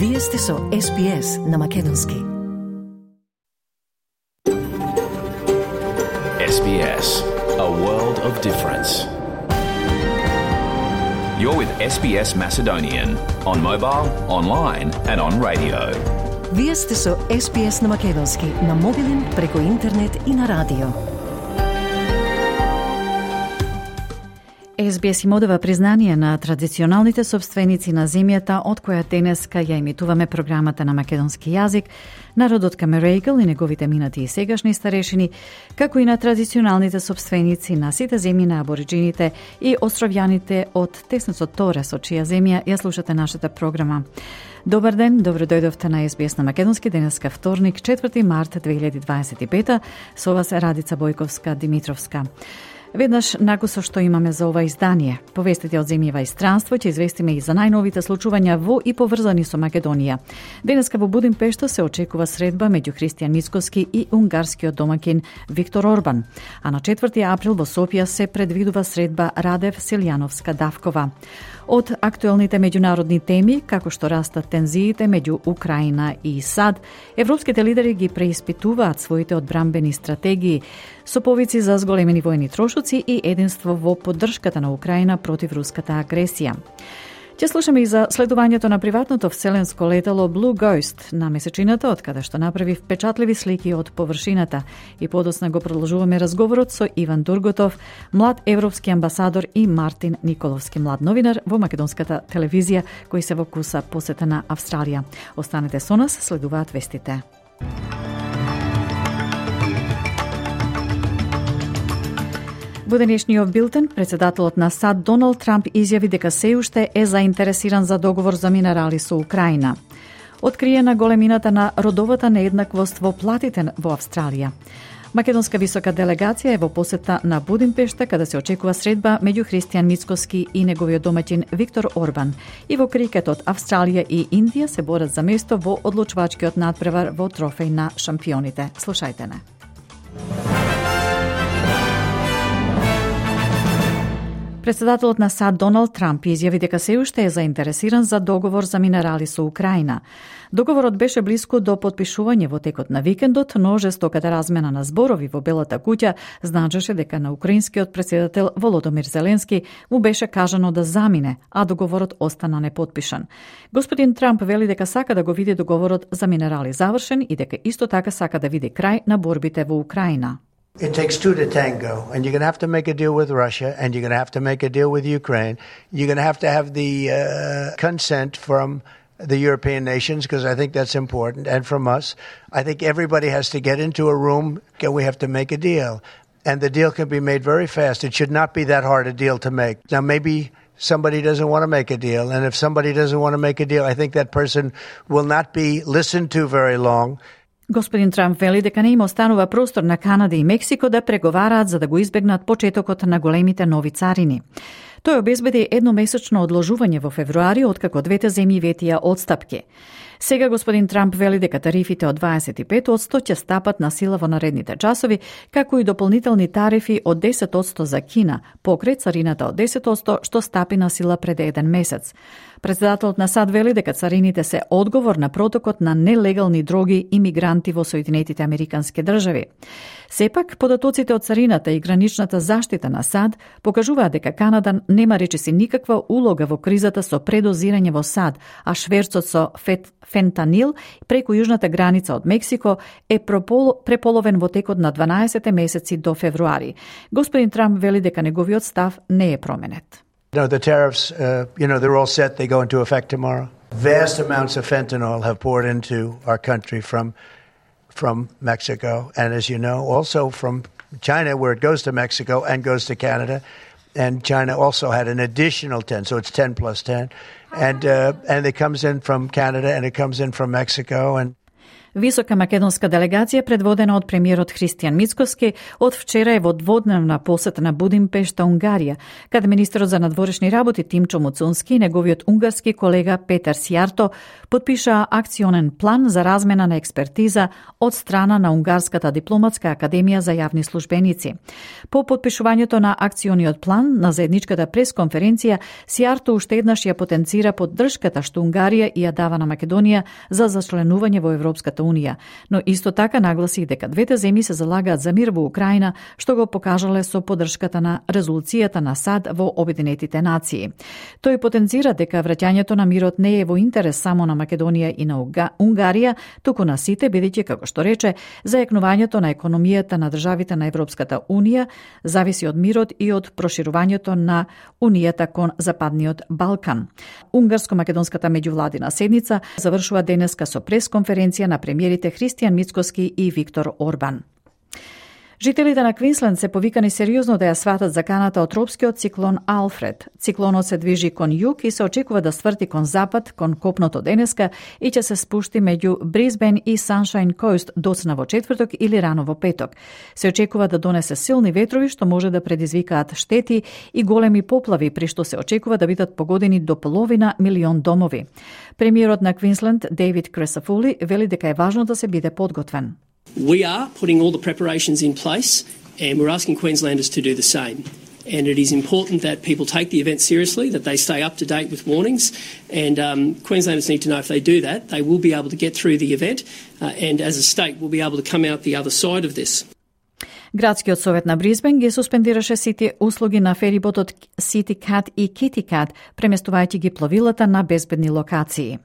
Вие сте со SBS на Македонски. SBS, a world of difference. You're with SBS Macedonian on mobile, online and on radio. Вие сте со SBS на Македонски на мобилен, преку интернет и на радио. SBS им одава признание на традиционалните собственици на земјата од која денеска ја емитуваме програмата на македонски јазик, народот Камерејгл и неговите минати и сегашни старешини, како и на традиционалните собственици на сите земји на абориджините и островјаните од теснецот Торес, од чија земја ја слушате нашата програма. Добар ден, добро дојдовте на SBS на Македонски, денеска вторник, 4 март 2025, со вас Радица Бојковска-Димитровска. Веднаш накусо што имаме за ова издание. Повестите од земјава и странство ќе известиме и за најновите случувања во и поврзани со Македонија. Денеска во Будимпешта се очекува средба меѓу Христијан Мицкоски и унгарскиот домакин Виктор Орбан, а на 4 април во Софија се предвидува средба Радев Селјановска-Давкова. Од актуелните меѓународни теми, како што растат тензиите меѓу Украина и САД, европските лидери ги преиспитуваат своите одбрамбени стратегии со повици за зголемени војни трошоци и единство во поддршката на Украина против руската агресија. Ќе слушаме и за следувањето на приватното вселенско летало Blue Ghost на месечината, од каде што направи впечатливи слики од површината, и подоцна го продолжуваме разговорот со Иван Дурготов, млад европски амбасадор, и Мартин Николовски, млад новинар во македонската телевизија, кој се во куса посета на Австралија. Останете со нас, следуваат вестите. Во денешниот билтен, председателот на САД Доналд Трамп изјави дека се уште е заинтересиран за договор за минерали со Украина. Откриена големината на родовата нееднаквост во платите во Австралија. Македонска висока делегација е во посета на Будимпешта, каде се очекува средба меѓу Христијан Мицкоски и неговиот домаќин Виктор Орбан. И во крикетот Австралија и Индија се борат за место во одлучвачкиот надпревар во трофеј на шампионите. Слушајте не. Председателот на САД Доналд Трамп изјави дека се уште е заинтересиран за договор за минерали со Украина. Договорот беше блиску до потпишување во текот на викендот, но жестоката размена на зборови во Белата куќа значеше дека на украинскиот претседател Володомир Зеленски му беше кажано да замине, а договорот остана непотпишан. Господин Трамп вели дека сака да го види договорот за минерали завршен и дека исто така сака да види крај на борбите во Украина. It takes two to tango, and you're going to have to make a deal with Russia, and you're going to have to make a deal with Ukraine. You're going to have the consent from the European nations, because I think that's important, and from us. I think everybody has to get into a room, and we have to make a deal. And the deal can be made very fast. It should not be that hard a deal to make. Now, maybe somebody doesn't want to make a deal, and if somebody doesn't want to make a deal, I think that person will not be listened to very long. Господин Трамп вели дека не им останува простор на Канада и Мексико да преговараат за да го избегнат почетокот на големите нови царини. Тој обезбеди едномесечно одложување во февруари, откако двете земји ветија отстапки. Сега господин Трамп вели дека тарифите од 25% ќе стапат на сила во наредните часови, како и дополнителни тарифи од 10% за Кина, покрај царината од 10% што стапи на сила пред еден месец. Председателот на САД вели дека царините се одговор на протокот на нелегални дроги и мигранти во Соединетите Американски држави. Сепак, податоците од царината и граничната заштита на САД покажуваат дека Канада нема речиси никаква улога во кризата со предозирање во САД, а шверцот со фентанил преку јужната граница од Мексико е преполовен во текот на 12 месеци до февруари. Господин Трамп вели дека неговиот став не е променет. No, the tariffs, they're all set. They go into effect tomorrow. Vast amounts of fentanyl have poured into our country from Mexico. And as you know, also from China, where it goes to Mexico and goes to Canada. And China also had an additional 10, so it's 10 plus 10. And it comes in from Canada and it comes in from Mexico. And Висока македонска делегација предводена од премиерот Христијан Мицкоски од вчера е во дводневна посета на Будимпешта, Унгарија, каде министерот за надворешни работи Тимчо Муцунски и неговиот унгарски колега Петар Сијарто потпишаа акционен план за размена на експертиза од страна на Унгарската дипломатска академија за јавни службеници. По потпишувањето на акциониот план на заедничката пресконференција, Сијарто уште еднаш ја потенцира поддршката што Унгарија и ја дава на Македонија за зачленување во Европската Унија, но исто така нагласи дека двете земји се залагаат за мир во Украина, што го покажале со поддршката на резолуцијата на САД во Обединетите нации. Тој потенцира дека враќањето на мирот не е во интерес само на Македонија и на Унгарија, туку на сите, бидејќи, како што рече, зајакнувањето на економијата на државите на Европската Унија зависи од мирот и од проширувањето на Унијата кон Западниот Балкан. Унгарско-македонската меѓувладина седница завршува денеска со пресконференција на премиерите Христијан Мицкоски и Виктор Орбан. Жителите на Квинсленд се повикани сериозно да ја сватат заканата од тропскиот циклон Алфред. Циклонот се движи кон југ и се очекува да сврти кон запад, кон копното денеска и ќе се спушти меѓу Брисбен и Саншайн Коуст доцна во четврток или рано во петок. Се очекува да донесе силни ветрови што може да предизвикаат штети и големи поплави, при што се очекува да бидат погодени до половина милион домови. Премиерот на Квинсленд Дейвид Кресафули вели дека е важно да се биде подготвен. We are putting all the preparations in place and we're asking Queenslanders to do the same. And it is important that people take the event seriously, that they stay up to date with warnings, and Queenslanders need to know if they do that, they will be able to get through the event and as a state will be able to come out the other side of this. Градскиот совет на Брисбен ги суспендираше сите услуги на фериботот City Cat и Kitty Cat, преместувајќи ги пловилата на безбедни локации.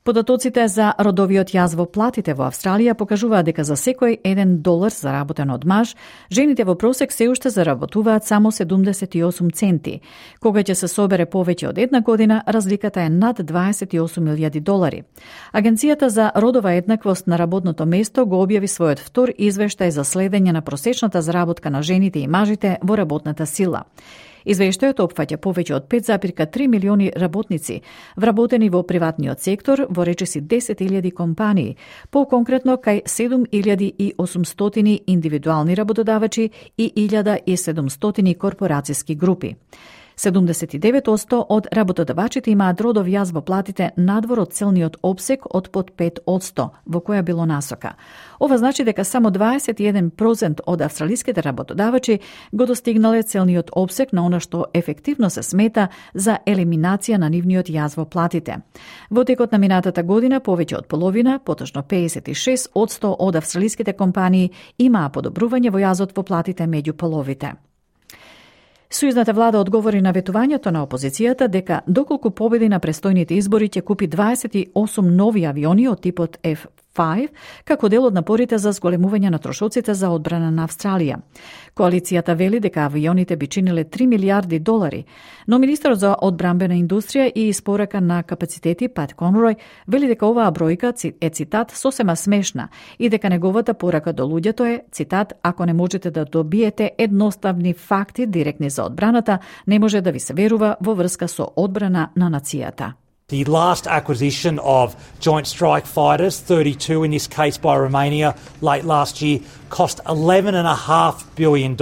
Податоците за родовиот јаз во платите во Австралија покажуваат дека за секој $1 заработен од маж, жените во просек се уште заработуваат само 78 центи. Кога ќе се собере повеќе од една година, разликата е над $28,000. Агенцијата за родова еднаквост на работното место го објави својот втор извештај за следење на просечната заработка на жените и мажите во работната сила. Извештајот опфаќа повеќе од 5,3 милиони работници, вработени во приватниот сектор во речиси 10.000 компании, по-конкретно кај 7.800 индивидуални работодавачи и 1.700 корпорацијски групи. 79% од работодавачите имаат родов јаз во платите надвор од целниот опсек од под 5%, во која било насока. Ова значи дека само 21% од австралиските работодавачи го достигнале целниот опсек на она што ефективно се смета за елиминација на нивниот јаз во платите. Во текот на минатата година повеќе од половина, поточно 56% од австралиските компании имаа подобрување во јазот во платите меѓу половите. Сојузната влада одговори на ветувањето на опозицијата дека доколку победи на престојните избори ќе купи 28 нови авиони од типот F-5 како дел од напорите за зголемување на трошоците за одбрана на Австралија. Коалицијата вели дека авионите би чиниле $3 милиарди, но министерот за одбрамбена индустрија и испорака на капацитети Пат Конрој вели дека оваа бројка е цитат сосема смешна и дека неговата порака до луѓето е цитат ако не можете да добиете едноставни факти директни за одбраната, не може да ви се верува во врска со одбрана на нацијата. The last acquisition of Joint Strike Fighters, 32 in this case by Romania, late last year, cost $11.5 billion.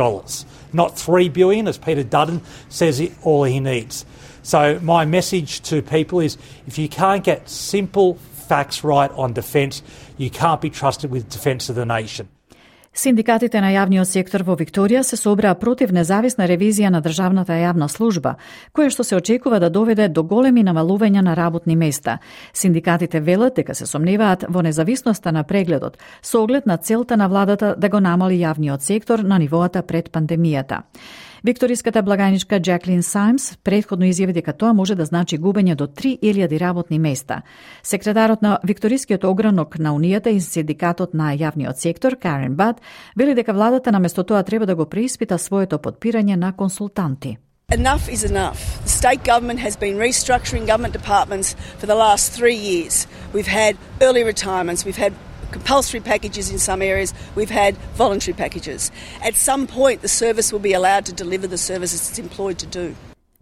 Not $3 billion, as Peter Dutton says all he needs. So my message to people is if you can't get simple facts right on defence, you can't be trusted with defence of the nation. Синдикатите на јавниот сектор во Викторија се собраа против независна ревизија на државната јавна служба, која што се очекува да доведе до големи намалувања на работни места. Синдикатите велат дека се сомневаат во независноста на прегледот, со оглед на целта на владата да го намали јавниот сектор на нивоата пред пандемијата. Викториската благајничка Джаклин Сајмс претходно изјави дека тоа може да значи губење до 3.000 работни места. Секретарот на Викторискиот огранок на Унијата и синдикатот на јавниот сектор, Карен Бад, вели дека владата наместо тоа треба да го преиспита своето подпирање на консултанти. Enough is enough. The state government has been restructuring government departments for the last 3 years. We've had early retirements, we've had compulsory packages in some areas, we've had voluntary packages. At some point, the service will be allowed to deliver the services it's employed to do.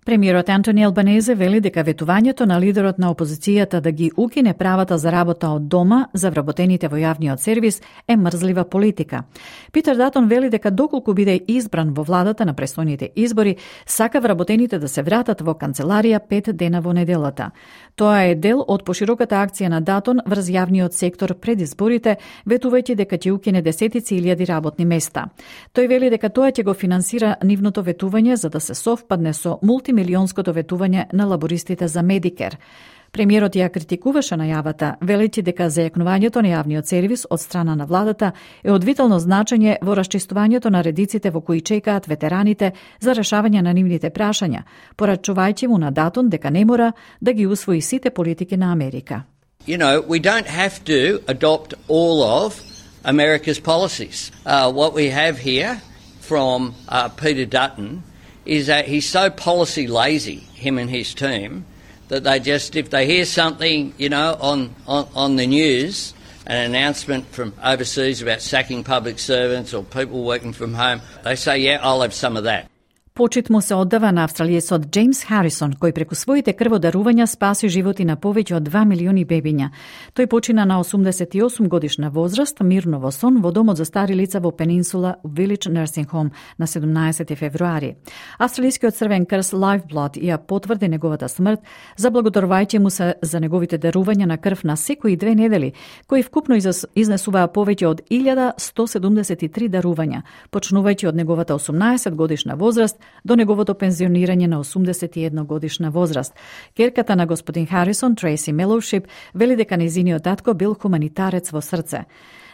Премиерот Антони Албанезе вели дека ветувањето на лидерот на опозицијата да ги укине правата за работа од дома за вработените во јавниот сервис е мрзлива политика. Питер Датон вели дека доколку биде избран во владата на престојните избори, сака вработените да се вратат во канцеларија 5 дена во неделата. Тоа е дел од пошироката акција на Датон врз јавниот сектор пред изборите, ветувајќи дека ќе укине десетици илјади работни места. Тој вели дека тоа ќе го финансира нивното ветување за да се совпадне со мултимилионското ветување на лабористите за Медикер. Премиерот ја критикуваше најавата, велејќи дека зајакнувањето на јавниот сервис од страна на владата е од витално значење во расчистувањето на редиците во кои чекаат ветераните за решавање на нивните прашања, порачувајќи му на Датон дека не мора да ги усвои сите политики на Америка. You know, we don't have to adopt all of America's policies. What we have here from Peter Dutton is that he's so policy lazy, him and his team, that they just, if they hear something, you know, on the news, an announcement from overseas about sacking public servants or people working from home, they say, yeah, I'll have some of that. Почит му се оддава на австралиецот Джеймс Харисон, кој преку своите крводарувања спаси животи на повеќе од 2 милиони бебиња. Тој почина на 88 годишна возраст, мирно во сон, во домот за стари лица во Пенинсула Village Nursing Home на 17 февруари. Австралискиот Црвен крст Lifeblood ја потврди неговата смрт, заблагодарувајќи му се за неговите дарувања на крв на секои 2 недели, кои вкупно изнесуваа повеќе од 1173 дарувања, почнувајќи од неговата 18 годишна возраст до неговото пензионирање на 81 годишна возраст. Керката на господин Харисон, Трейси Мелоушип, вели дека нејзиниот татко бил хуманитарец во срце.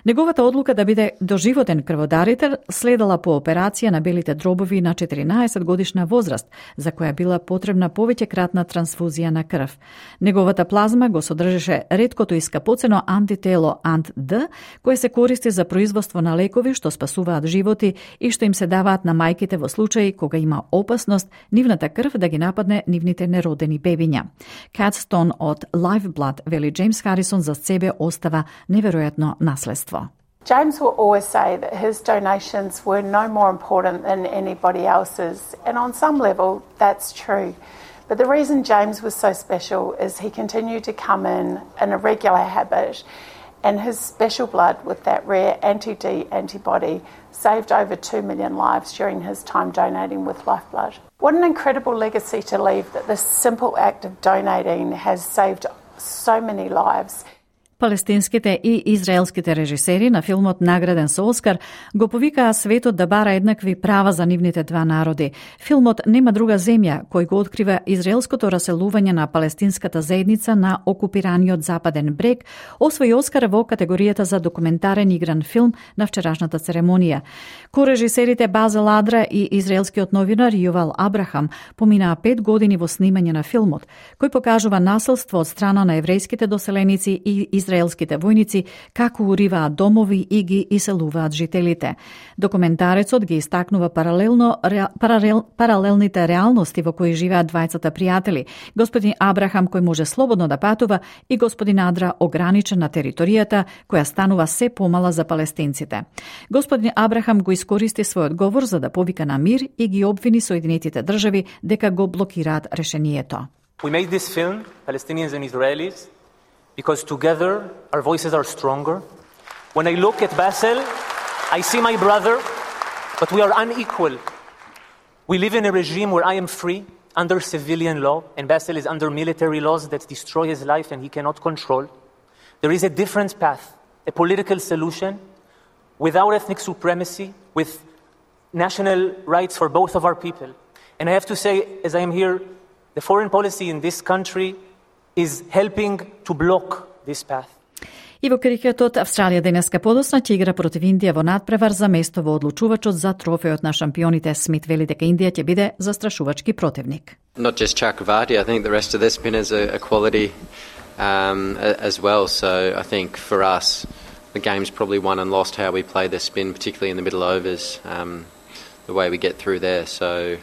Неговата одлука да биде доживотен крводарител следала по операција на белите дробови на 14 годишна возраст, за која била потребна повеќекратна трансфузија на крв. Неговата плазма го содржеше реткото и скапоцено антитело Ant-D, кое се користи за производство на лекови што спасуваат животи и што им се даваат на мајките во случаи кога има опасност нивната крв да ги нападне нивните неродени бебиња. Кат Стон од Lifeblood вели Джеймс Харисон за себе остава неверојатно наследство. James will always say that his donations were no more important than anybody else's, and on some level that's true. But the reason James was so special is he continued to come in a regular habit, and his special blood with that rare anti-D antibody saved over 2 million lives during his time donating with Lifeblood. What an incredible legacy to leave, that this simple act of donating has saved so many lives. Палестинските и израелските режисери на филмот награден со Оскар го повикаа светот да бара еднакви права за нивните два народи. Филмот Нема друга земја, кој го открива израелското раселување на палестинската заедница на окупираниот Западен брег, освои Оскар во категоријата за документарен игран филм на вчерашната церемонија. Корежисерите Базел Адра и израелскиот новинар Јувал Абрахам поминаа 5 години во снимање на филмот, кој покажува насилство од страна на еврејските доселеници и израелските војници како уриваат домови и ги иселуваат жителите. Документарецот ги истакнува паралелните реалности во кои живеат двајцата пријатели, господин Абрахам кој може слободно да патува и господин Адра ограничен на територијата која станува се помала за палестинците. Господин Абрахам го искористи својот говор за да повика на мир и ги обвини Соединетите држави дека го блокираат решението. We made this film, Palestinians and Israelis, because together our voices are stronger. When I look at Basel, I see my brother, but we are unequal. We live in a regime where I am free under civilian law, and Basel is under military laws that destroy his life and he cannot control. There is a different path, a political solution without ethnic supremacy, with national rights for both of our people. And I have to say, as I am here, the foreign policy in this country is helping to block this path. И во крикетот Австралија денеска подоцна ќе игра против Индија во надпревар за место во одлучувачот за трофејот на шампионите. Смит вели дека Индија ќе биде застрашувачки противник. Not just Chakravarti, I think the rest of their spinners are quality as well. So I think for us, the game's probably won and lost how we play their spin, particularly in the middle overs. The way we get through there. So,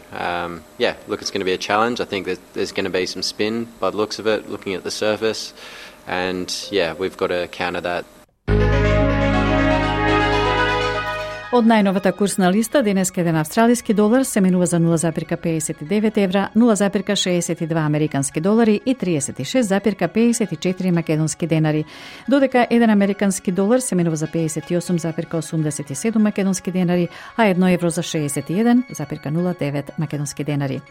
yeah, look, it's going to be a challenge. I think that there's going to be some spin by the looks of it, looking at the surface. And, yeah, we've got to counter that. Од најновата курсна листа, денеска еден австралиски долар се менува за 0,59 евра, 0,62 американски долари и 36,54 македонски денари, додека еден американски долар се менува за 58,87 македонски денари, а 1 евро за 61,09 македонски денари.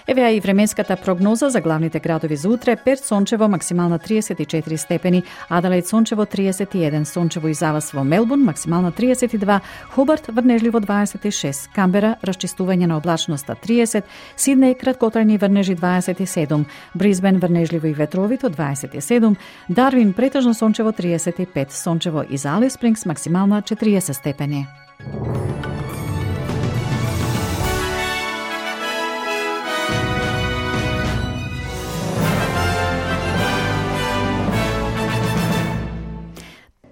Еве и временската прогноза за главните градови за утре: Перт сончево, максимална 34 степени, Аделаид сончево 31, сончево и завас во Мелбурн, максимална 32, Хобарт врнежливо 26, Камбера расчистување на облачноста 30, Сиднеј краткотрајни врнежи 27, Брисбен врнежливо и ветровито 27, Дарвин претежно сончево 35, сончево и за Алис Спрингс максимална 40 степени.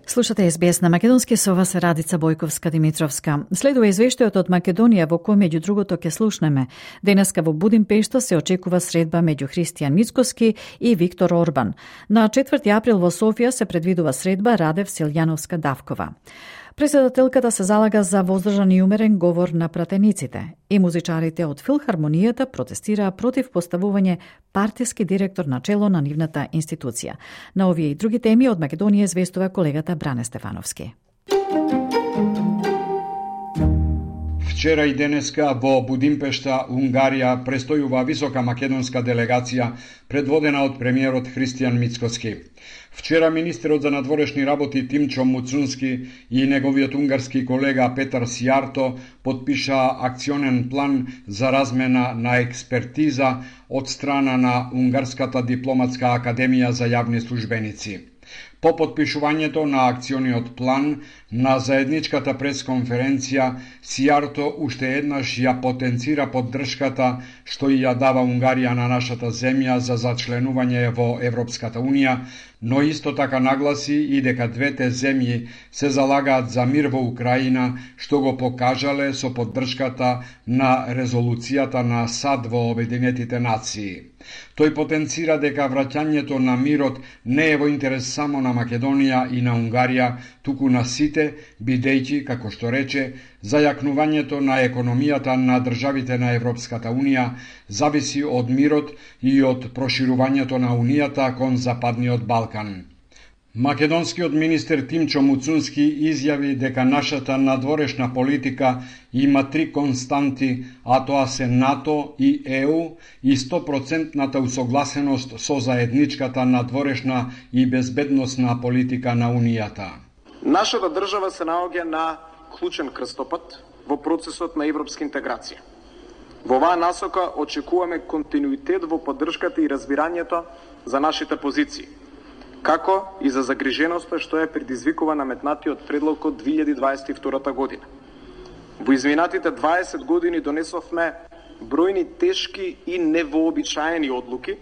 Слушате СБС на македонски, со вас Радица Бојковска-Димитровска. Следува извештајот од Македонија во кој меѓу другото ќе слушнеме. Денеска во Будимпешта се очекува средба меѓу Христијан Мицкоски и Виктор Орбан. На 4 април во Софија се предвидува средба Радев Силјановска-Давкова. Председателката се залага за воздржан и умерен говор на пратениците и музичарите од Филхармонијата протестираа против поставување партиски директор на чело на нивната институција. На овие и други теми од Македонија известува колегата Бране Стефановски. Вчера и денеска во Будимпешта, Унгарија, престојува висока македонска делегација предводена од премиерот Христијан Мицкоски. Вчера министерот за надворешни работи Тимчо Муцунски и неговиот унгарски колега Петар Сијарто подпишаа акционен план за размена на експертиза од страна на Унгарската дипломатска академија за јавни службеници. По подпишувањето на акциониот план на заедничката пресконференција, Сијарто уште еднаш ја потенцира поддршката што и ја дава Унгарија на нашата земја за зачленување во Европската Унија, но исто така нагласи и дека двете земји се залагаат за мир во Украина, што го покажале со поддршката на резолуцијата на САД во Обединетите нации. Тој потенцира дека враќањето на мирот не е во интерес само на Македонија и на Унгарија, туку на сите, бидејќи, како што рече, зајакнувањето на економијата на државите на Европската Унија зависи од мирот и од проширувањето на Унијата кон Западниот Балкан. Македонскиот министер Тимчо Муцунски изјави дека нашата надворешна политика има 3 константи, а тоа се НАТО и ЕУ и 100% усогласеност со заедничката надворешна и безбедносна политика на Унијата. Нашата држава се наоѓа на клучен крстопат во процесот на европска интеграција. Во оваа насока очекуваме континуитет во поддршката и разбирањето за нашите позиции, како и за загриженоста што е предизвикува наметнатиот предлог од 2022 година. Во изминатите 20 години донесовме бројни тешки и невообичаени одлуки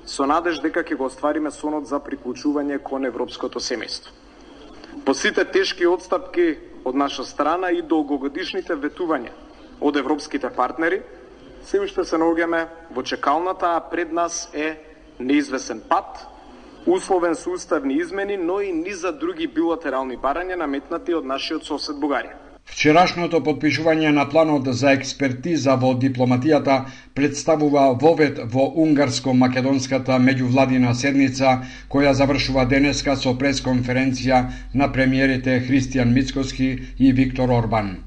со надеж дека ќе го оствариме сонот за приклучување кон европското семејство. По сите тешки отстапки од наша страна и долгогодишните ветувања од европските партнери, се уште се наоѓаме во чекалната, а пред нас е неизвесен пат, условен со уставни измени, но и низа други билатерални барања наметнати од нашиот сосед Бугарија. Вчерашното подпишување на планот за експертиза во дипломатијата представува вовед во унгарско-македонската меѓувладина седница, која завршува денеска со пресконференција на премиерите Христијан Мицкоски и Виктор Орбан.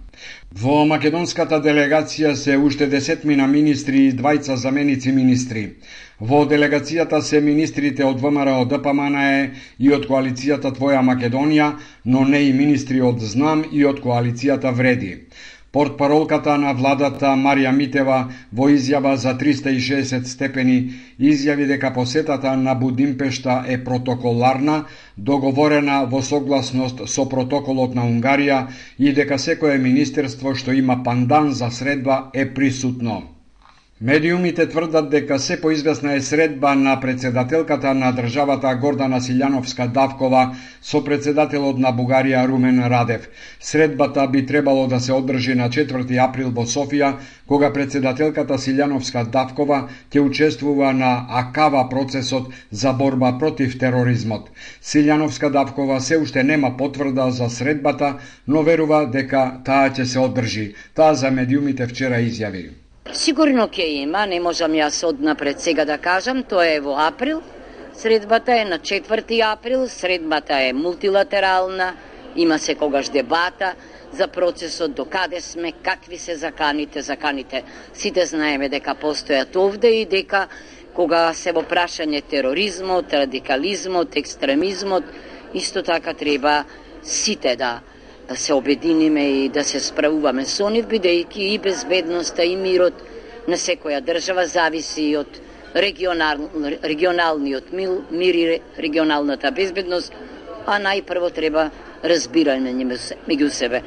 Во македонската делегација се уште 10 министри и 2 заменици министри. Во делегацијата се министрите од ВМРО ДПМНЕ и од коалицијата Твоја Македонија, но не и министри од ЗНАМ и од коалицијата Вреди. Портпаролката на владата Марија Митева во изјава за 360 степени изјави дека посетата на Будимпешта е протоколарна, договорена во согласност со протоколот на Унгарија и дека секое министерство што има пандан за средба е присутно. Медиумите тврдат дека се поизвестна е средба на председателката на државата Гордана Силјановска-Давкова со председателот на Бугарија Румен Радев. Средбата би требало да се одржи на 4 април во Софија, кога председателката Силјановска-Давкова ќе учествува на АКАВА процесот за борба против тероризмот. Силјановска-Давкова се уште нема потврда за средбата, но верува дека таа ќе се одржи. Таа за медиумите вчера изјави. Сигурно ќе има, не можам јас однапред сега да кажам, тоа е во април. Средбата е на 4 април, средбата е мултилатерална, има секогаш дебата за процесот, до каде сме, какви се заканите. Сите знаеме дека постојат овде и дека кога се во прашање тероризмот, радикализмот, екстремизмот, исто така треба сите да се обединиме и да се справуваме со нив, бидејќи и безбедноста и мирот на секоја држава зависи од регионалниот мир и регионалната безбедност, а најпрво треба разбирање меѓу себе.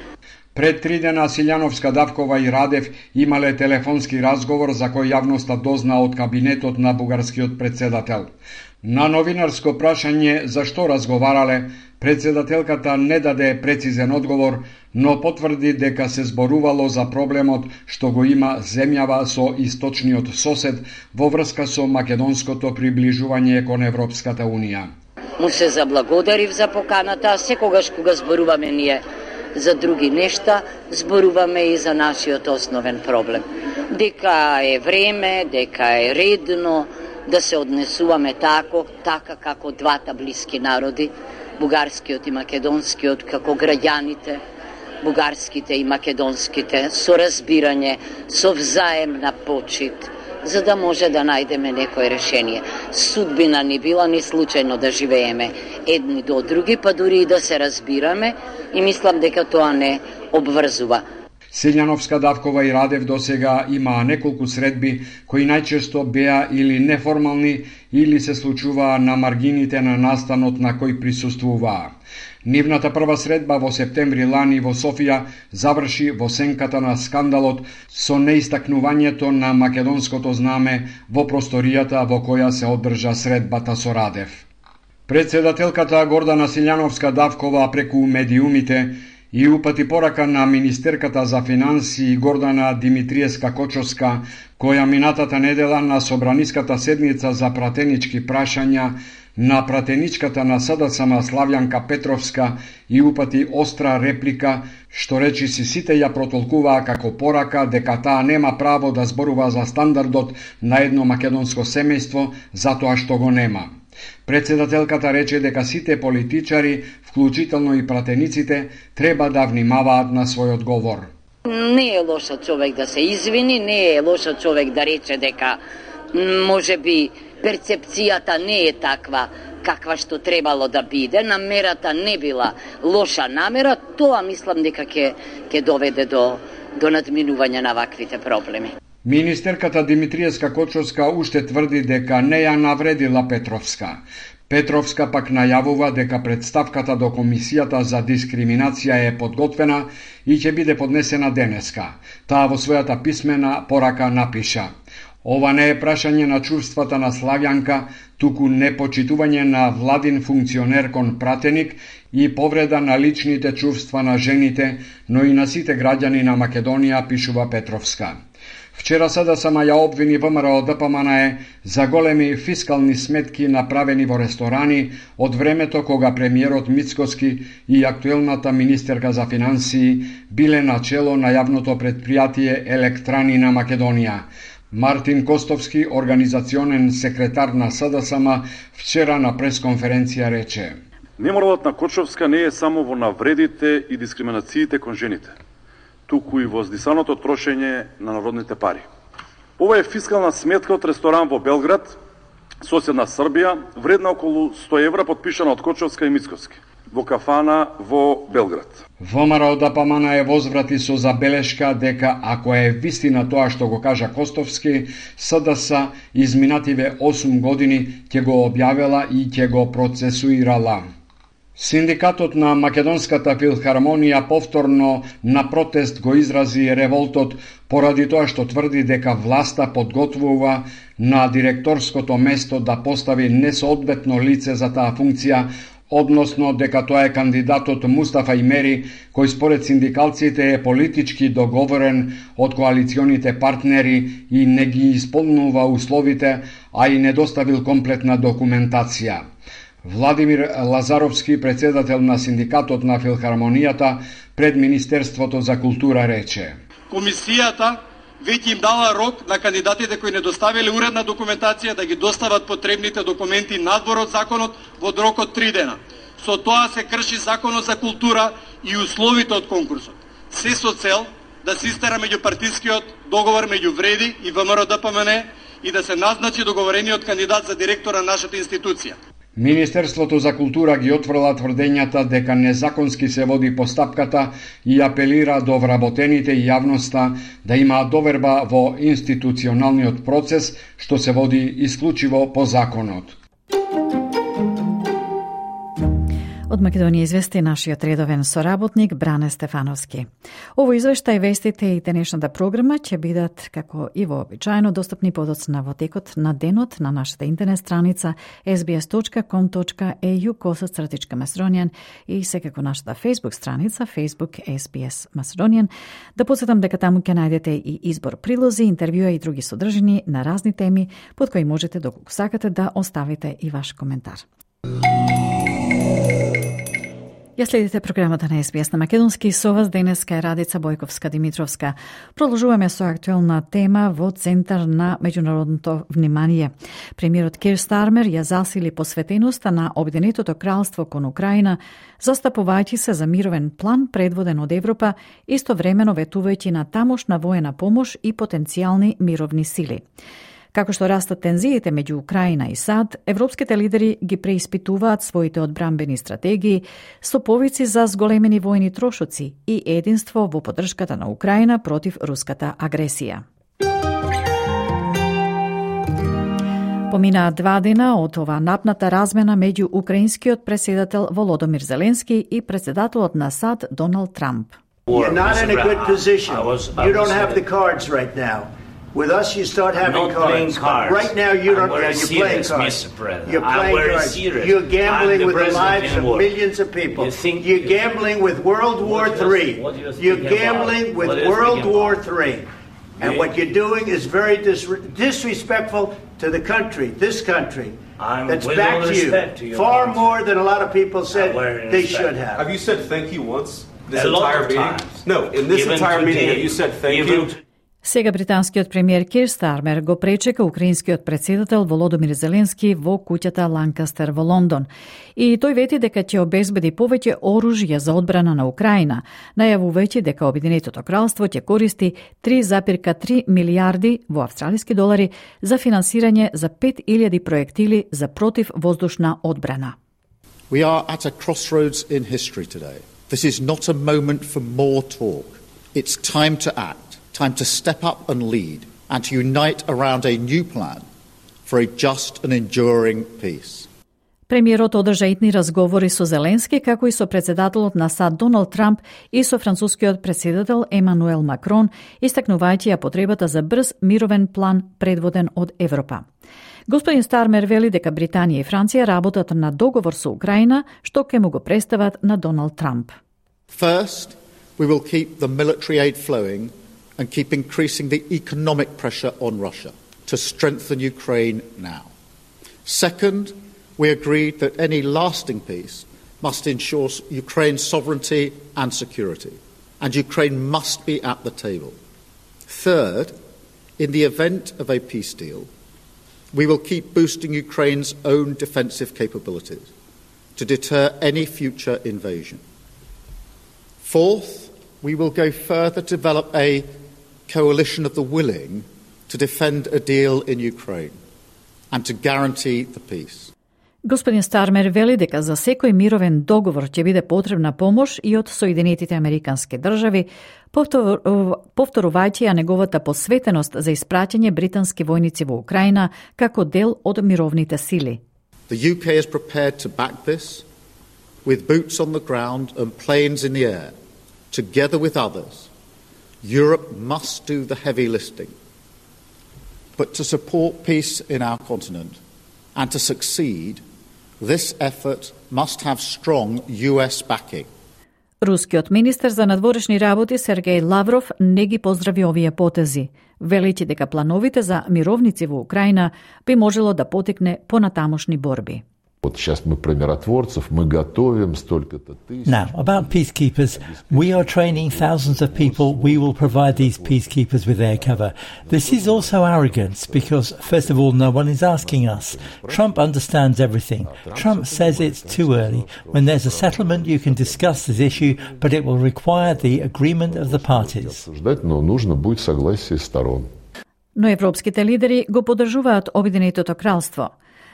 Пред 3 дена Силјановска-Давкова и Радев имале телефонски разговор за кој јавноста дозна од кабинетот на бугарскиот председател. На новинарско прашање зашто разговарале, председателката не даде прецизен одговор, но потврди дека се зборувало за проблемот што го има земјава со источниот сосед во врска со македонското приближување кон Европската Унија. Му се заблагодарив за поканата, а секогаш кога зборуваме ние за други нешта, зборуваме и за нашиот основен проблем. Дека е време, дека е редно да се однесуваме така како двата блиски народи, бугарскиот и македонскиот, како граѓаните, бугарските и македонските, со разбирање, со взаемна почит, за да може да најдеме некој решение. Судбина ни била ни случајно да живееме едни до други, па дури и да се разбираме, и мислам дека тоа не обврзува. Силјановска-Давкова и Радев досега имаа неколку средби кои најчесто беа или неформални или се случуваа на маргините на настанот на кој присуствуваа. Нивната прва средба во септември лани во Софија заврши во сенката на скандалот со неистакнувањето на македонското знаме во просторијата во која се одржа средбата со Радев. Председателката Гордана Силјановска-Давкова преку медиумите и упати порака на министерката за финансии Гордана Димитриевска-Кочовска, која минатата недела на собраниската седница за пратенички прашања на пратеничката на СДСМ Славјанка Петровска и упати остра реплика, што речиси сите ја протолкуваа како порака дека таа нема право да зборува за стандардот на едно македонско семејство затоа што го нема. Председателката рече дека сите политичари, вклучително и пратениците, треба да внимаваат на својот говор. Не е лошо човек да се извини, не е лошо човек да рече дека може би перцепцијата не е таква каква што требало да биде, намерата не била лоша намера, тоа мислам дека ќе доведе до надминување на ваквите проблеми. Министерката Димитриевска-Кочовска уште тврди дека не ја навредила Петровска. Петровска пак најавува дека представката до Комисијата за дискриминација е подготвена и ќе биде поднесена денеска. Таа во својата писмена порака напиша: ова не е прашање на чувствата на Славјанка, туку непочитување на владин функционер кон пратеник и повреда на личните чувства на жените, но и на сите граѓани на Македонија, пишува Петровска. Вчера СДСМ ја обвини ВМРО ДПМНЕ за големи фискални сметки направени во ресторани од времето кога премиерот Мицкоски и актуелната министерка за финансии биле на чело на јавното предпријатие Електрани на Македонија. Мартин Костовски, организационен секретар на СДСМ, вчера на пресконференција рече: Неморалот на Кочовска не е само во навредите и дискриминациите кон жените, туку и во здисаното трошење на народните пари. Ова е фискална сметка од ресторан во Белград, соседна Србија, вредна околу 100 евра, подпишана од Кочовска и Мицкоски, во кафана во Белград. ВМРО ДПМНЕ возврати со забелешка дека ако е вистина тоа што го кажа Костовски, СДС изминативе 8 години ќе го објавела и ќе го процесуирала. Синдикатот на Македонската филхармонија повторно на протест го изрази револтот поради тоа што тврди дека власта подготвува на директорското место да постави несоодветно лице за таа функција, односно дека тоа е кандидатот Мустафа Имери, кој според синдикалците е политички договорен од коалиционите партнери и не ги исполнува условите, а и не доставил комплетна документација. Владимир Лазаровски, председател на синдикатот на филхармонијата, пред Министерството за култура рече: Комисијата веќе им дала рок на кандидатите кои не доставиле уредна документација да ги достават потребните документи надвор од законот во рок од 3 дена. Со тоа се крши законот за култура и условите од конкурсот. Се со цел да се истера меѓупартискиот договор меѓу Вреди и ВМРО-ДПМН и да се назначи договорениот кандидат за директор на нашата институција. Министерството за култура ги отфрла тврдењата дека незаконски се води постапката и апелира до вработените и јавноста да имаат доверба во институционалниот процес, што се води исклучиво по законот. Од Македонија извести нашиот редовен соработник Бране Стефановски. Ово извештај, вестите и денешната програма ќе бидат, како и вообичаено, достапни подоцна во текот на денот на нашата интернет страница sbs.com.au/Macedonian и секако нашата Facebook страница Facebook SBS Macedonian. Да подсетам дека таму ќе најдете и избор прилози, интервјуа и други содржини на разни теми под кои можете, доколку сакате, да оставите и ваш коментар. Ја следите програмата на SBS на Македонски. Со вас денеска е Радица Бојковска-Димитровска. Продолжуваме со актуелна тема во центар на меѓународното внимание. Премиерот Кир Стармер ја засили посветеноста на Обединетото кралство кон Украина, застапувајќи се за мировен план предводен од Европа, истовремено ветувајќи на тамошна воена помош и потенцијални мировни сили. Како што растат тензиите меѓу Украина и САД, европските лидери ги преиспитуваат своите одбранбени стратегии со повици за зголемени војни трошоци и единство во поддршката на Украина против руската агресија. Поминаа 2 дена од ова напната размена меѓу украинскиот преседател Володомир Зеленски и председателот на САД Доналд Трамп. You're not in a good position. You don't have the cards right now. With us, you start having cards. Right now, you don't. You're playing cards. You're playing cards. You're gambling with the lives of millions of people. You're gambling with World War III. You're gambling with World War III. And what you're doing is very disrespectful to the country, this country, that's backed you far more than a lot of people said they should have. Have you said thank you once? This entire meeting? No, in this entire meeting, have you said thank you? Сега британскиот премиер Кир Стармер го пречека украинскиот председател Володомир Зеленски во куќата Ланкастер во Лондон. И тој вети дека ќе обезбеди повеќе оружје за одбрана на Украина, најавувајќи дека Обединетото кралство ќе користи 3,3 милиарди во австралиски долари за финансирање за 5.000 проектили за противвоздушна одбрана. We are at a crossroads in history today. This is not a moment for more talk. It's time to act. Time to step up and lead and to unite around a new plan for a just and enduring peace. Премиерот одржа итни разговори со Зеленски, како и со председателот на САД Доналд Трамп и со францускиот председател Емануел Макрон, истакнувајќи ја потребата за брз мировен план предводен од Европа. Господин Стармер вели дека Британија и Франција работат на договор со Украина, што ќе му го представат на Доналд Трамп. First, we will keep the military aid flowing and keep increasing the economic pressure on Russia to strengthen Ukraine now. Second, we agreed that any lasting peace must ensure Ukraine's sovereignty and security, and Ukraine must be at the table. Third, in the event of a peace deal, we will keep boosting Ukraine's own defensive capabilities to deter any future invasion. Fourth, we will go further to develop a coalition of the willing to defend a deal in Ukraine and to guarantee the peace. Господин Стармер вели дека за секој мировен договор ќе биде потребна помош и од Соединетите Американски држави, повторувајќи ја неговата посветеност за испраќање британски војници во Украина како дел од мировните сили. The UK is prepared to back this with boots on the ground and planes in the air, together with others, Europe must do the heavy lifting. But to support peace in our continent and to succeed, this effort must have strong US backing. Рускиот министер за надворешни работи Сергеј Лавров не ги поздрави овие потези, велејќи дека плановите за мировници во Украина би можело да потекне понатамошни борби. Сейчас мы про миротворцев, мы готовим столько-то тысяч. Now, about peacekeepers, we are training thousands of people. We will provide these peacekeepers with air cover. This is also arrogance because, first of all, no one is asking us. Trump understands everything. Trump says it's too early. When there's a settlement, you can discuss this issue, but it will require the agreement of the parties. Но нужно будет согласие сторон. Но европските лидери го поддржуваат Обединетото кралство.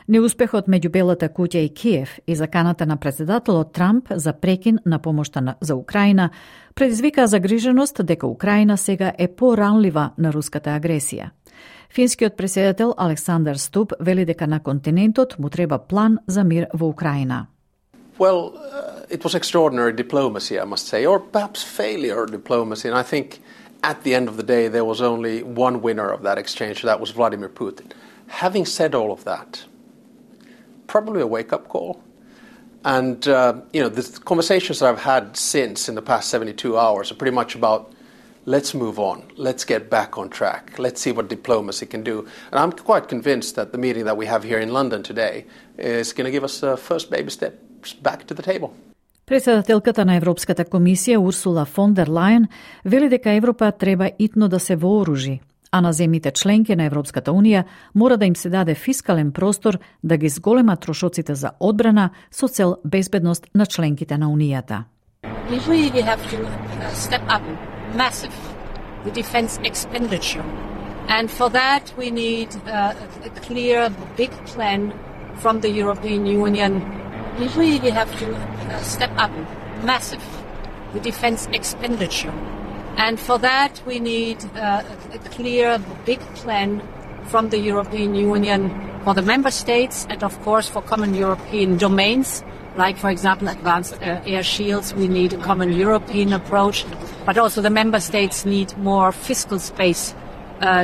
Неуспехот меѓу Белата куќа и Киев и заканата на председателот Трамп за прекин на помошта за Украина предизвика загриженост дека Украина сега е поранлива на руската агресија. Финскиот претседател Александар Ступ вели дека на континентот му треба план за мир во Украина. Well, it was extraordinary diplomacy, I must say, or perhaps failure diplomacy, and I think at the end of the day there was only one winner of that exchange, that was Vladimir Putin. Having said all of that, probably a wake-up call. And, the conversations that I've had since in the past 72 hours are pretty much about let's move on, let's get back on track, let's see what diplomacy can do. And I'm quite convinced that the meeting that we have here in London today is going to give us first baby steps back to the table. Председателката на Европската комисија Урсула фон дер Лајен вели дека Европа треба итно да се вооружи, а на земјите членки на Европската Унија мора да им се даде фискален простор да ги зголемат трошоците за одбрана со цел безбедност на членките на Унијата. We really have to step up massive the defense expenditure. And for that we need a clear big plan from the European Union. We really have to step up massive the defense expenditure. And for that, we need a clear, big plan from the European Union for the member states and, of course, for common European domains, like, for example, advanced air shields. We need a common European approach, but also the member states need more fiscal space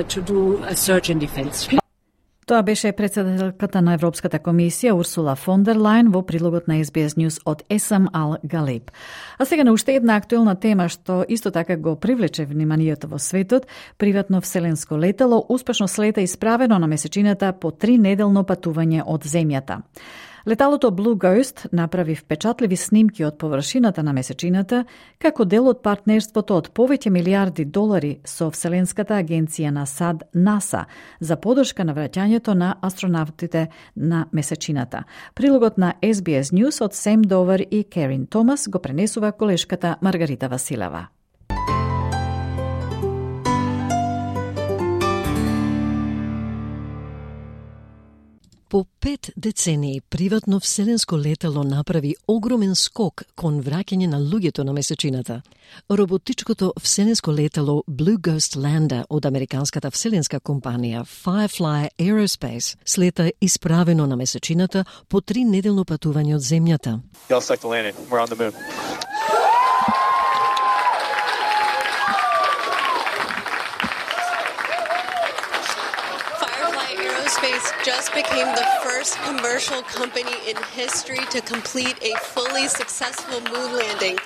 to do a surge in defense. Тоа беше председателката на Европската комисија Урсула фон дер Лајен во прилогот на SBS News од Есам Ал Галеб. А сега на уште една актуелна тема што исто така го привлече вниманието во светот, приватно вселенско летало успешно слета исправено на месечината по 3-неделно патување од земјата. Леталото Blue Ghost направи впечатливи снимки од површината на месечината како дел од партнерството од повеќе милиарди долари со Вселенската агенција на САД НАСА за поддршка на враќањето на астронавтите на месечината. Прилогот на SBS News од Сем Довер и Керин Томас го пренесува колешката Маргарита Василева. По 5 децении приватно вселенско летало направи огромен скок кон враќање на луѓето на месечината. Роботичкото вселенско летало Blue Ghost Lander од американската вселенска компанија Firefly Aerospace слета исправено на месечината по 3-неделно патување од земјата. Y'all stuck the landing. We're on the moon. Aerospace just became the first commercial company in history to complete a fully successful moon landing.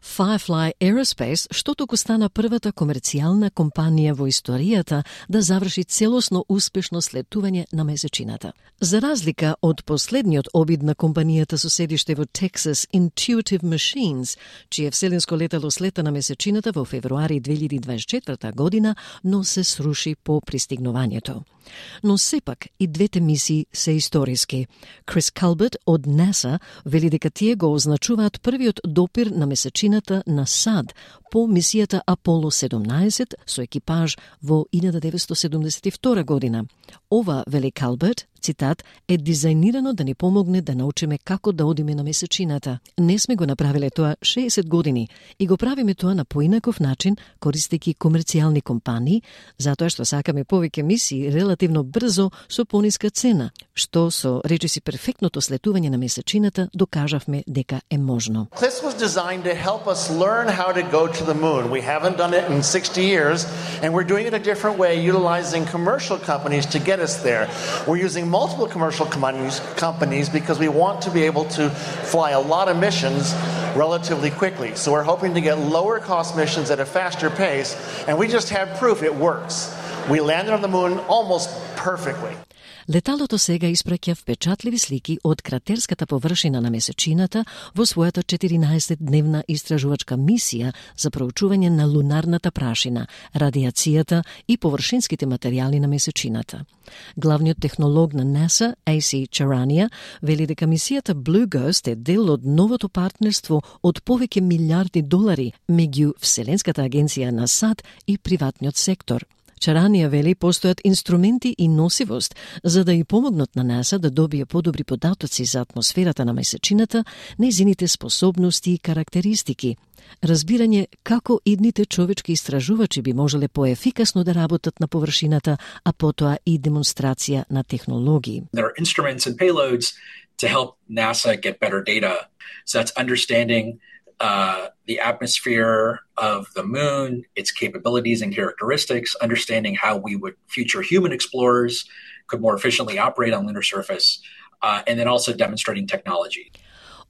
Firefly Aerospace, што току стана првата комерцијална компанија во историјата да заврши целосно успешно слетување на месечината. За разлика од последниот обид на компанијата со седиште во Texas Intuitive Machines, чие вселенско летало слета на месечината во февруари 2024 година, но се сруши по пристигнувањето. Но сепак и двете мисии се историски. Крис Калберт од НАСА вели дека тие го означуваат првиот допир на месечината на САД по мисијата Аполо 17 со екипаж во 1972 година. Ова, вели Калберт, цитат, е дизајнирано да ни помогне да научиме како да одиме на месечината. Не сме го направиле тоа 60 години и го правиме тоа на поинаков начин, користејќи комерцијални компании, затоа што сакаме повеќе мисии релативно брзо со пониска цена, што со речиси перфектното слетување на месечината докажавме дека е можно. This was designed to help us learn how to go to the moon. We haven't done it in 60 years, and we're doing it a different way, utilizing commercial companies to get us there. We're using multiple commercial companies because we want to be able to fly a lot of missions relatively quickly. So we're hoping to get lower cost missions at a faster pace, and we just have proof it works. We landed on the moon almost perfectly. Леталото сега испраќа впечатливи слики од кратерската површина на месечината во својата 14-дневна истражувачка мисија за проучување на лунарната прашина, радиацијата и површинските материјали на месечината. Главниот технолог на НАСА, AC Charania, вели дека мисијата Blue Ghost е дел од новото партнерство од повеќе милиарди долари меѓу Вселенската агенција на САД и приватниот сектор. Чаранија вели постојат инструменти и носивост за да и помогнат на НАСА да добие подобри податоци за атмосферата на месечината, нејзините способности и карактеристики, разбирање како идните човечки истражувачи би можеле поефикасно да работат на површината, а потоа и демонстрација на технологии. There are instruments and payloads to help NASA get better data. So that's understanding the atmosphere of the moon, its capabilities and characteristics, understanding how we would future human explorers could more efficiently operate on lunar surface, and then also demonstrating technology.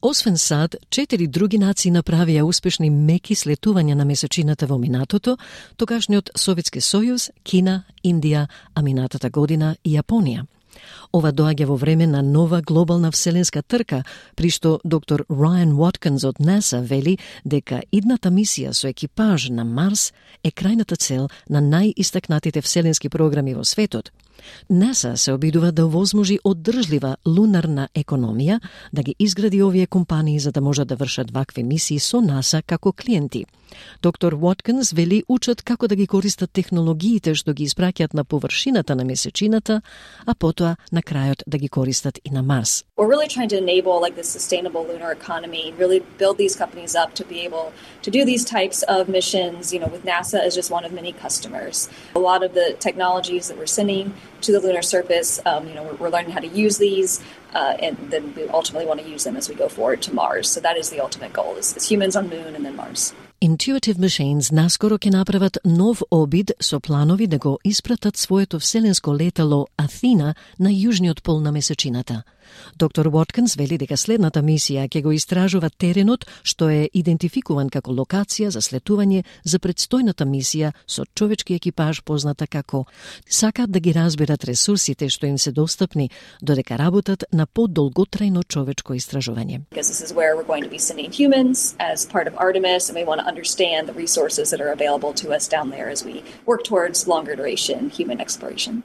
Освен САД, 4 други нации направија успешни меки слетувања на месечината во минатото, тогашниот Советски сојуз, Кина, Индија, а минатата година и Јапонија. Ова доаѓа во време на нова глобална вселенска трка, при што доктор Райан Уоткинс од НАСА вели дека идната мисија со екипаж на Марс е крајната цел на најистакнатите вселенски програми во светот. НАСА се обидува да овозможи одржлива лунарна економија, да ги изгради овие компании за да можат да вршат вакви мисии со НАСА како клиенти. Доктор Уоткинс вели учат како да ги користат технологиите што ги испраќаат на површината на месечината, а потоа на крајот да ги користат и на Марс. We're really trying to enable like the sustainable lunar economy, really build these companies up to be able to do these types of missions, with NASA as just one of many customers. A lot of the technologies that we're sending to the lunar surface, we're learning how to use these, and then we ultimately want to use them as we go forward to Mars. So that is the ultimate goal, is humans on Moon and then Mars. Intuitive Machines наскоро ќе направат нов обид со планови да го испратат своето вселенско летало Атина на јужниот пол на месечината. Доктор Уоткинс вели дека следната мисија ќе го истражува теренот што е идентификуван како локација за слетување за предстојната мисија со човечки екипаж позната како. Сакаат да ги разберат ресурсите што им се достапни додека работат на подолготрајно човечко истражување. Because this is where we're going to be sending humans as part of Artemis, and we want to understand the resources that are available to us down there as we work towards longer duration human exploration.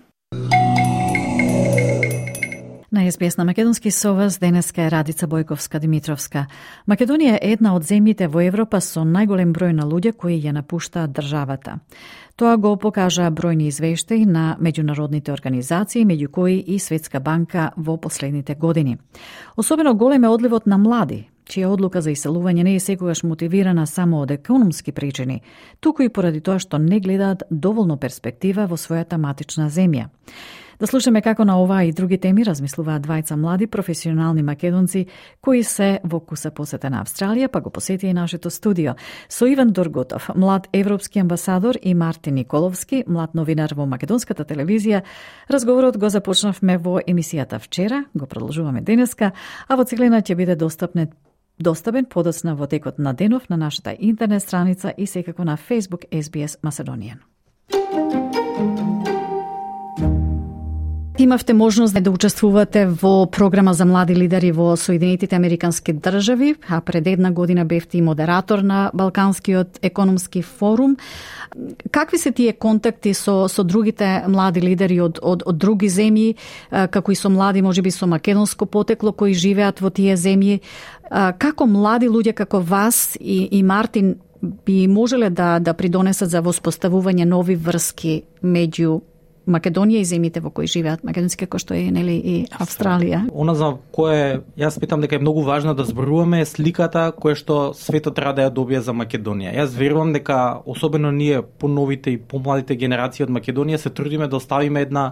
На СБС на македонски со вас денеска е Радица Бојковска-Димитровска. Македонија е една од земјите во Европа со најголем број на луѓе кои ја напуштаат државата. Тоа го покажа бројни извештаи на меѓународните организации, меѓу кои и Светска банка во последните години. Особено голем е одливот на млади, чија одлука за иселување не е секогаш мотивирана само од економски причини, туку и поради тоа што не гледаат доволно перспектива во својата матична земја. Да слушаме како на оваа и други теми размислуваат двајца млади професионални македонци кои се во куса посета на Австралија, па го посети и нашето студио. Со Иван Дорготов, млад европски амбасадор, и Мартин Николовски, млад новинар во македонската телевизија, разговорот го започнавме во емисијата вчера, го продолжуваме денеска, а во целина ќе биде достапен подоцна во текот на денов на нашата интернет страница и секако на Facebook SBS Macedonian. Имавте можност да учествувате во програма за млади лидери во Соединетите Американски држави, а пред една година бевте и модератор на Балканскиот економски форум. Какви се тие контакти со другите млади лидери од други земји, како и со млади можеби со македонско потекло кои живеат во тие земји? Како млади луѓе како вас и Мартин би можеле да придонесат за воспоставување нови врски меѓу Македонија и земјите во кои живеат македонски, кој што е нели и Австралија. Она за кое јас питам дека е многу важно да зборуваме е сликата која што светот треба да ја добие за Македонија. Јас верувам дека особено ние поновите и помладите генерации од Македонија се трудиме да оставиме една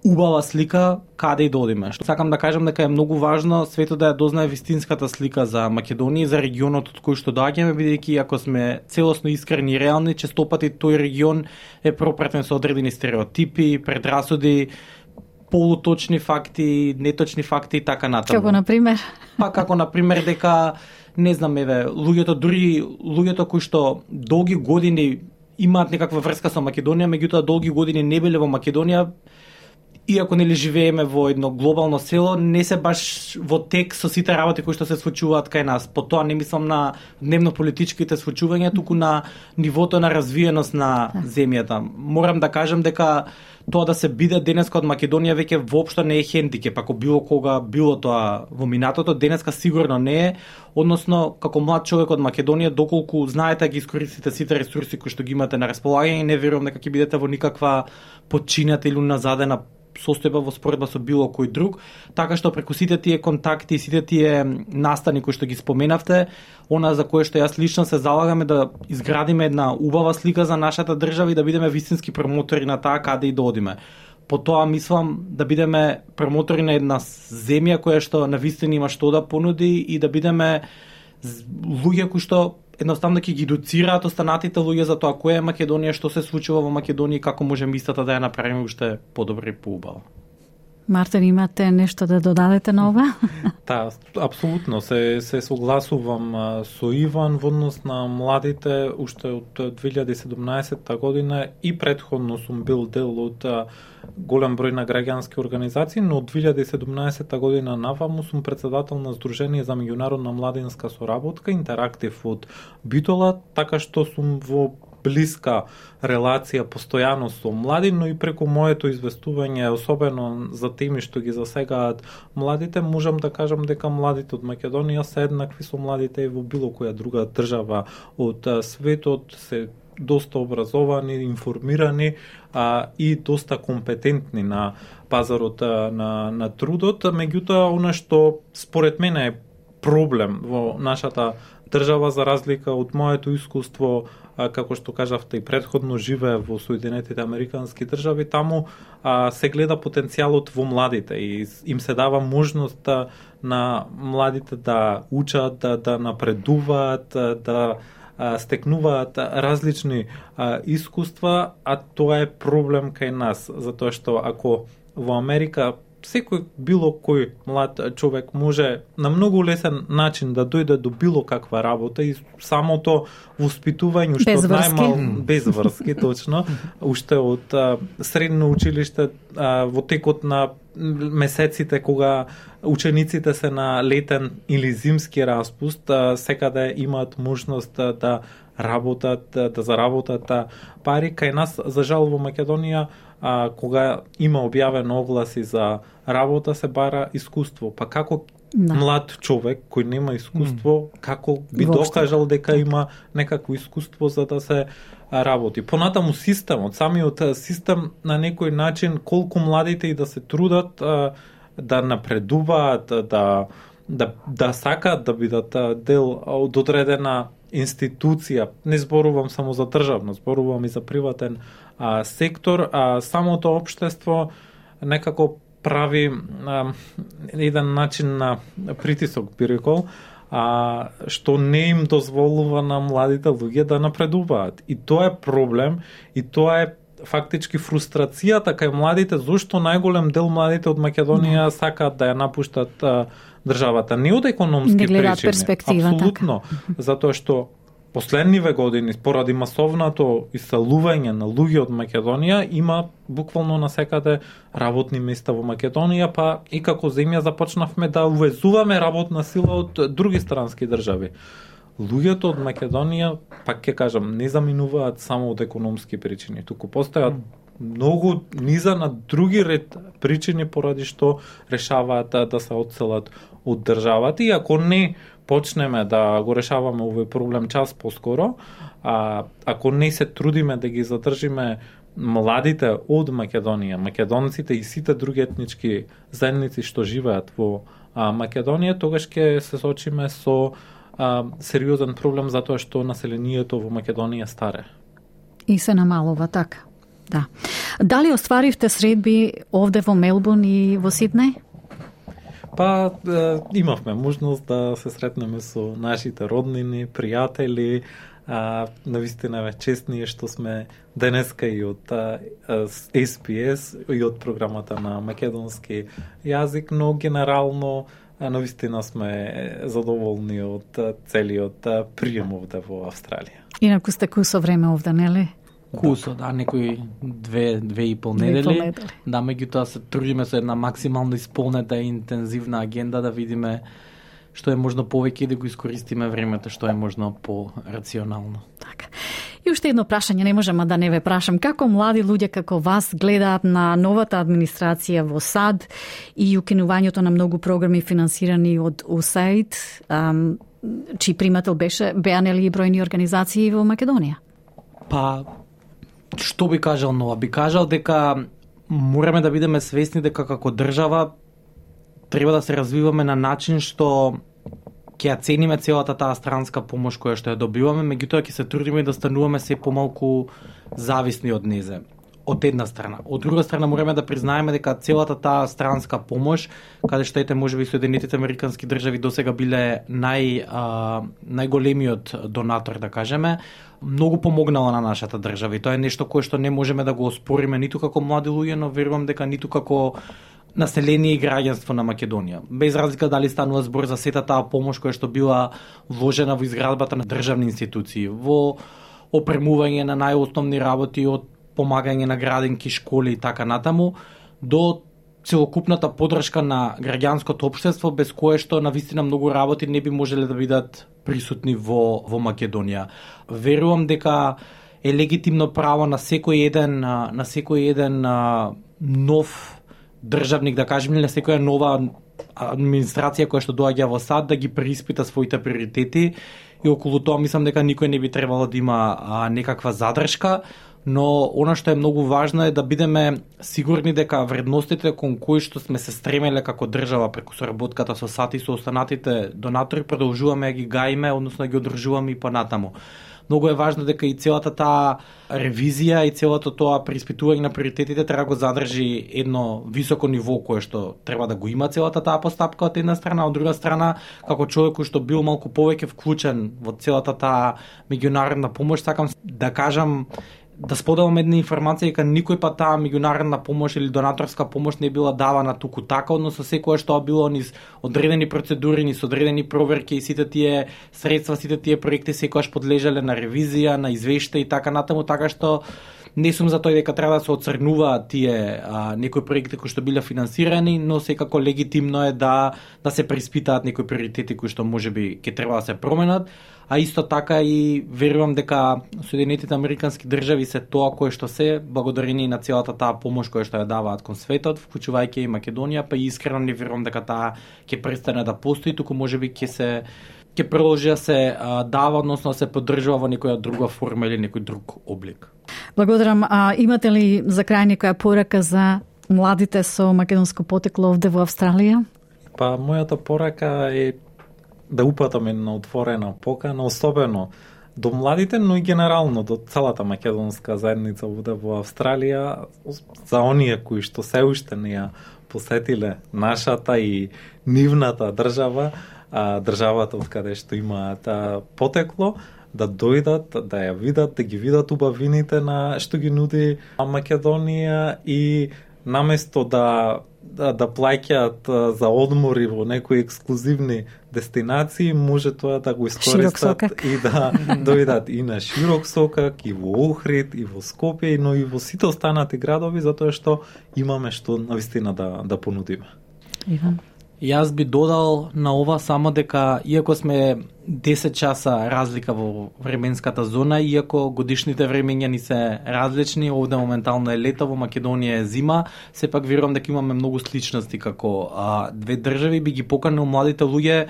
убава слика каде и да одиме. Што сакам да кажам дека е многу важно светот да ја дознае вистинската слика за Македонија и за регионот од кој што доаѓаме, бидејќи ако сме целосно искрени и реални, често пати тој регион е пропратен со одредени стереотипи, предрасуди, полуточни факти, неточни факти и така натаму. Како например? Како например дека не знам, луѓето кои што долги години имаат некаква врска со Македонија, меѓутоа долги години не биле во Македонија, иако нели живееме во едно глобално село, не се баш во тек со сите работи кои што се случуваат кај нас. По тоа не мислам на дневно-политичките случувања, туку на нивото на развиеност на земјата. Морам да кажам дека тоа да се биде денеска од Македонија веќе воопшто не е хендикеп, ако било кога било тоа во минатото, денеска сигурно не е, односно како млад човек од Македонија, доколку знаете да ги искористите сите ресурси кои што ги имате на располагање, не верувам дека ќе бидете во никаква подчинета или назадена состојба во споредба со било кој друг, така што преку сите тие контакти и сите тие настани кои што ги споменавте, она за кое што јас лично се залагаме да изградиме една убава слика за нашата држава и да бидеме вистински промотори на таа каде и да одиме. По тоа мислам да бидеме промотори на една земја која што навистина има што да понуди и да бидеме луѓе кои што едноставно ќе ги едуцираат останатите луѓе за тоа која е Македонија, што се случува во Македонија и како можеме истата да ја направиме уште подобро и поубаво. Мартин, имате нешто да додадете на ова? Да, апсолутно се согласувам со Иван во однос на младите. Уште од 2017 година и претходно сум бил дел од голем број на граѓански организации, но од 2017 година наваму сум председател на Сдружение за меѓународна младинска соработка Интерактив од Битола, така што сум во блиска релација постојано со млади, но и преку моето известување, особено за теми што ги засегаат младите, можам да кажам дека младите од Македонија се еднакви со младите и во било која друга држава од светот, се доста образовани, информирани и доста компетентни на пазарот на трудот. Меѓутоа, она што според мене е проблем во нашата држава, за разлика од моето искуство, како што кажавте и претходно, живее во Соединетите Американски држави, таму се гледа потенцијалот во младите и им се дава можност на младите да учат, да напредуваат, да стекнуваат различни искуства, а тоа е проблем кај нас, затоа што ако во Америка секој било кој млад човек може на многу лесен начин да дојде до било каква работа и самото воспитување уште од најмал без врски, точно, уште од средно училиште во текот на месеците кога учениците се на летен или зимски распуст, секаде имаат можност да работат, да заработат пари. Кај нас, за жал, во Македонија, кога има објавено огласи за работа, се бара искуство. Па како млад човек кој нема искуство, како би докажал дека има некакво искуство за да се работи? Понатаму системот, самиот систем на некој начин, колку младите и да се трудат да напредуваат, да сакаат да бидат дел од одредена институција, не зборувам само за државно, зборувам и за приватен сектор, самото општество некако прави еден начин на притисок, би рекол, што не им дозволува на младите луѓе да напредуваат. И тоа е проблем, и тоа е фактички фрустрацијата кај младите, зошто најголем дел младите од Македонија сакаат да ја напуштат државата. Не од економски причини, апсолутно, затоа што последниве години, поради масовното иселување на луѓе од Македонија, има буквално насекаде работни места во Македонија, па и како земја започнавме да увезуваме работна сила од други странски држави. Луѓето од Македонија, пак ќе кажам, не заминуваат само од економски причини, туку постојат многу низа на други ред причини поради што решаваат да се одселат од државата, и ако не почнеме да го решаваме овој проблем час поскоро, ако не се трудиме да ги задржиме младите од Македонија, македонците и сите други етнички заедници што живеат во Македонија, тогаш ќе се соочиме со сериозен проблем затоа што населението во Македонија старе. И се намалува, така. Да. Дали остваривте средби овде во Мелбурн и во Сиднеј? Па имавме можност да се сретнеме со нашите роднини, пријатели. Навистина ве честни што сме денеска и од SPS и од програмата на македонски јазик, но генерално навистина сме задоволни од целиот прием овде во Австралија. Инаку сте кусо време овде, нели? Кусо, да, некои 2,5 недели. Да, меѓутоа се трудиме со една максимално исполнета и интензивна агенда да видиме што е можно повеќе и да го искористиме времето што е можно по-рационално. Така. И уште едно прашање, не можам да не ве прашам. Како млади луѓе како вас гледаат на новата администрација во САД и укинувањето на многу програми финансирани од USAID, чиј примател беа нели и бројни организации во Македонија? Па, што би кажал нова? Би кажал дека мораме да бидеме свесни дека како држава треба да се развиваме на начин што ќе ја цениме целата таа странска помош која што ја добиваме, меѓутоа ќе се трудиме да стануваме се помалку зависни од незе. Од една страна. Од друга страна мораме да признаеме дека целата таа странска помош, каде што ете можеби Соединетите Американски држави досега биле најголемиот донатор, да кажеме, многу помогнала на нашата држава и тоа е нешто кое што не можеме да го оспориме ниту како млади луѓе, но верувам дека ниту како население и граѓанство на Македонија. Без разлика дали станува збор за сета таа помош која што била вложена во изградбата на државни институции, во опремување на најосновни работи од помагање на градинки, школи и така натаму, до целокупната поддршка на граѓанското општество, без кое што навистина многу работи не би можеле да бидат присутни во Македонија. Верувам дека е легитимно право на секој еден нов државник, да кажем, или на секоја нова администрација која што доаѓа во САД да ги преиспита своите приоритети и околу тоа мислам дека никој не би требало да има некаква задршка, но она што е многу важно е да бидеме сигурни дека вредностите кон кои што сме се стремеле како држава преку соработката со САД и со останатите донатори продолжуваме да ги гаиме, односно да ги одржуваме и понатаму. Многу е важно дека и целата таа ревизија и целото тоа преиспитување на приоритетите треба го задржи едно високо ниво кое што треба да го има целата таа постапка од една страна, од друга страна како човек кој што бил малку повеќе вклучен во целата таа меѓународна помош, сакам да кажам да споделам една информација дека никој па таа меѓународна помош или донаторска помош не била давана туку така, односно секоја што било низ одредени процедури, низ одредени проверки и сите тие средства, сите тие проекти секогаш подлежале на ревизија, на извештај и така натаму, така што не сум за тој дека треба да се оцрнуваат тие некои проекти кои што биле финансирани, но секако легитимно е да се преиспитаат некои приоритети кои што можеби ќе треба да се променат, а исто така и верувам дека Соединетите Американски држави се тоа кое што се благодарение на целата таа помош која што ја даваат кон светот, вклучувајќи и Македонија, па и искрено не верувам дека таа ќе престане да постои, туку можеби ќе продолжи да се дава, односно да се поддржува во некоја друга форма или некој друг облик. Благодарам. Имате ли за крај некоја порака за младите со македонско потекло овде во Австралија? Па мојата порака е да упатаме на отворена покана, особено до младите, но и генерално до целата македонска заедница овде во Австралија, за оние кои што се уште не ја посетиле нашата и нивната држава, државата од каде што имаат потекло, да дојдат, да ја видат, да ги видат убавините на што ги нуди Македонија и наместо да плаќаат за одмори во некои ексклузивни дестинации, може тоа да го искористат и да дојдат и на Широк Сокак, и во Охрид, и во Скопје, но и во сите останати градови, затоа што имаме што навистина да понудиме. Иван? Јас би додал на ова само дека, иако сме 10 часа разлика во временската зона, иако годишните времења ни се различни, овде моментално е лето, во Македонија е зима, сепак верувам дека имаме многу сличности како две држави, би ги поканил младите луѓе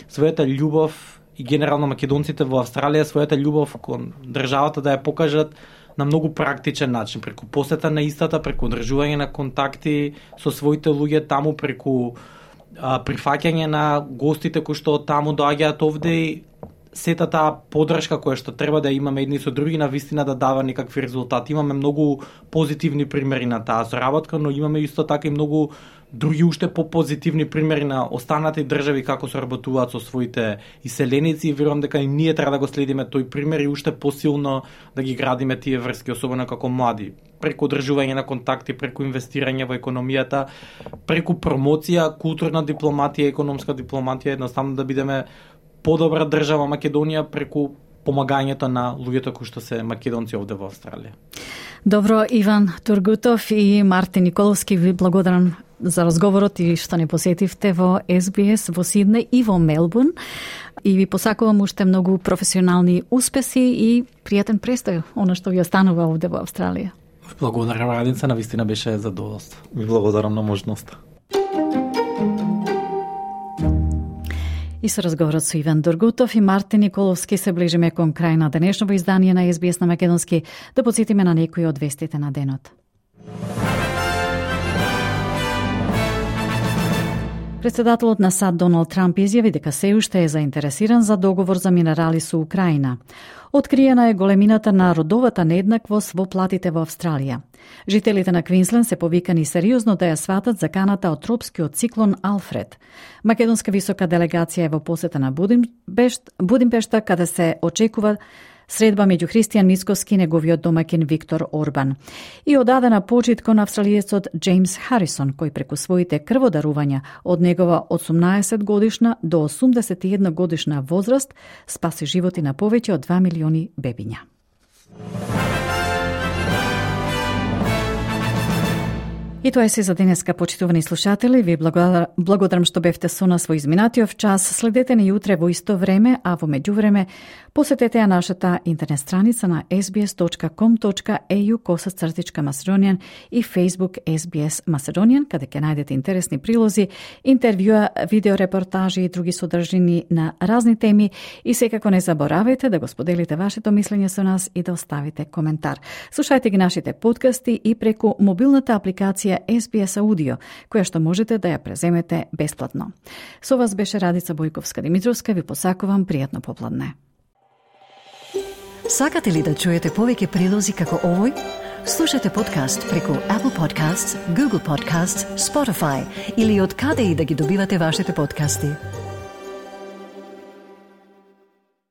својата љубов и генерално македонците во Австралија својата љубов кон државата да ја покажат на многу практичен начин, преку посета на истата, преку одржување на контакти со своите луѓе таму, преку прифаќање на гостите кои што таму доаѓаат овде и сета таа поддршка која што треба да имаме едни со други на вистина да дава некакви резултати. Имаме многу позитивни примери на таа соработка, но имаме исто така и многу други уште попозитивни примери на останати држави како соработуваат со своите иселеници и верувам дека и ние треба да го следиме тој пример и уште посилно да ги градиме тие врски, особено како млади, преку одржување на контакти, преку инвестирање во економијата, преку промоција, културна дипломатија, економска дипломатија, едноставно да бидеме подобра држава Македонија преку помагањето на луѓето кои што се македонци овде во Австралија. Добро, Иван Тургутов и Мартин Николовски, ви благодарам за разговорот и што не посетивте во SBS во Сиднеј и во Мелбурн. И ви посакувам уште многу професионални успеси и пријатен престој, она што ви останува овде во Австралија. Благодарам, Радица, навистина беше задоволство. Ви благодарам на можноста. И со разговорот со Иван Тургутов и Мартин Николовски се ближиме кон крај на денешното издание на SBS на Македонски. Да потсетиме на некои од вестите на денот. Председателот на САД Доналд Трамп изјави дека се уште е заинтересиран за договор за минерали со Украина. Откриена е големината на родовата нееднаквост во платите во Австралија. Жителите на Квинсленд се повикани сериозно да ја сватат заканата од тропскиот циклон Алфред. Македонска висока делегација е во посета на Будимпешта, каде се очекува средба меѓу Христијан Мицкоски и неговиот домаќин Виктор Орбан. И одадена почит кон австралиецот Джеймс Харисон, кој преку своите крводарувања од негова 18 годишна до 81 годишна возраст спаси животи на повеќе од 2 милиони бебиња. И тоа е се за денеска, почитувани слушатели. Ви благодарам што бевте со нас во изминатиот час. Следете ни утре во исто време, а во меѓувреме посетете ја нашата интернет страница на sbs.com.au/Macedonian и Facebook SBS Macedonian, каде ќе најдете интересни прилози, интервјуа, видеорепортажи и други содржини на разни теми. И секако не заборавајте да го споделите вашето мислење со нас и да оставите коментар. Слушајте ги нашите подкасти и преку мобилната апликација SBS Audio, која што можете да ја преземете бесплатно. Со вас беше Радица Бојковска-Димитровска. Ви посакувам пријатно попладне. Сакате ли да чуете повеќе прилози како овој? Слушате подкаст преку Apple Podcasts, Google Podcasts, Spotify или од каде и да ги добивате вашите подкасти.